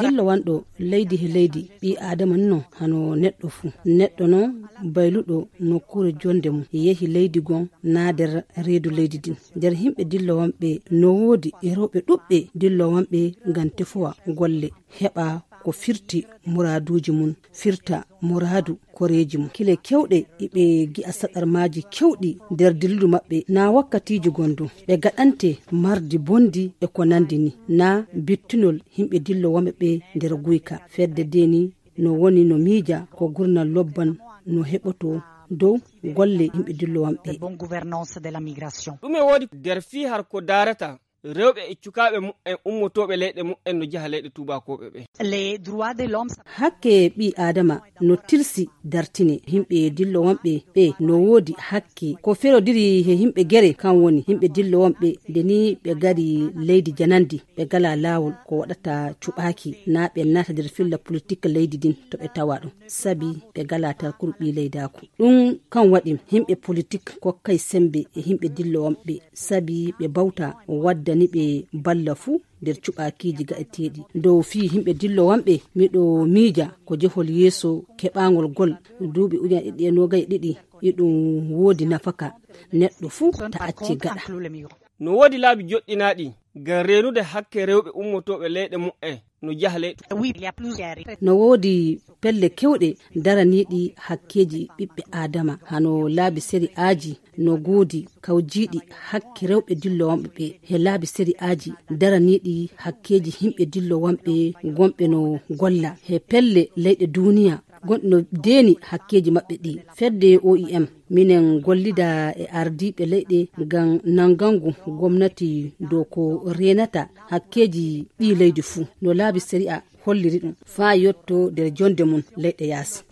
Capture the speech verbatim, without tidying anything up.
Dillowanɗo leydi he leydi, ɓii aadama non hano neɗɗo fuu. Neɗɗo non bayluɗo nokkuure jonnde mum, yehi leydi goo naa nder reedu leydi ndin. Nder yimɓe dillowanɓe no woodi e rewɓe ɗuɓɓe dillowanɓe ngam tefowa golle, heɓa ko firti muraaduuji mum, firta muraadu koreeji mum. Kile keewɗe iɓe gi'a saɗarmaaji keewɗi nder dilludu maɓɓe, naa wakkatiiji gondu ɓe gaɗante mardi bondi e ko nandi ni, naa bittunol yimɓe dillowanɓe ɓe nder guyka. Fedde deni no woni no miija ko gurnal lobban no heɓoto dow golle yimɓe dillowanɓe. Ɗume woodi nder fii har ko daarata rewɓe e cukaaɓe mu'en ummotooɓe leyɗe mu'en no jaha leyɗe tuubakooɓe ɓe? Hakke ɓii aadama no tilsi dartine. Yimɓe dillowanɓe ɓe no woodi hakke ko ferodiri he yimɓe gere, kan woni yimɓe dillowanɓe nde ni ɓe ngari leydi janandi, ɓe ngala laawol ko waɗata cuɓaaki, naa ɓe naata nder filla politik leydi ndin to ɓe tawa ɗum, sabi ɓe ngala tarkuru ɓii leydaaku. Ɗum kan waɗi yimɓe politik kokkay sembe e yimɓe dillowanɓe, sabi ɓe bawta waddani ɓe balla fuu nder cuɓaakiiji gaɗeteeɗi. Dow fii yimɓe dillowanɓe, miɗo miija ko jehol yeeso keɓaangol gol duuɓi ujine ɗiɗi e noogay e ɗiɗi, iɗum woodi nafaka neɗɗo fuu ta acci gaɗa. No woodi laabi joɗɗinaaɗi ngam reenude hakke rewɓe ummotooɓe leyɗe mu'en no jaha leyɗe. No woodi pelle keewɗe daraniiɗi hakkeeji ɓiɓɓe aadama, hano laabi sari'aaji no ngoodi kawjiiɗi hakke rewɓe dillowanɓe ɓe, he laabi sari'aaji daraniiɗi hakkeeji yimɓe dillowanɓe gonɓe no golla he pelle leyɗe duuniya gonɗi no deeni hakkeeji maɓɓe ɗi. Fedde O I M, minen gollida e ardiiɓe leyɗe ngam nanngangu gomnati dow ko reenata hakkeeji ɓii leydi fuu, no laabi sari'a holliri ɗum, faa yotto nder jonnde mum leyɗe yaasi.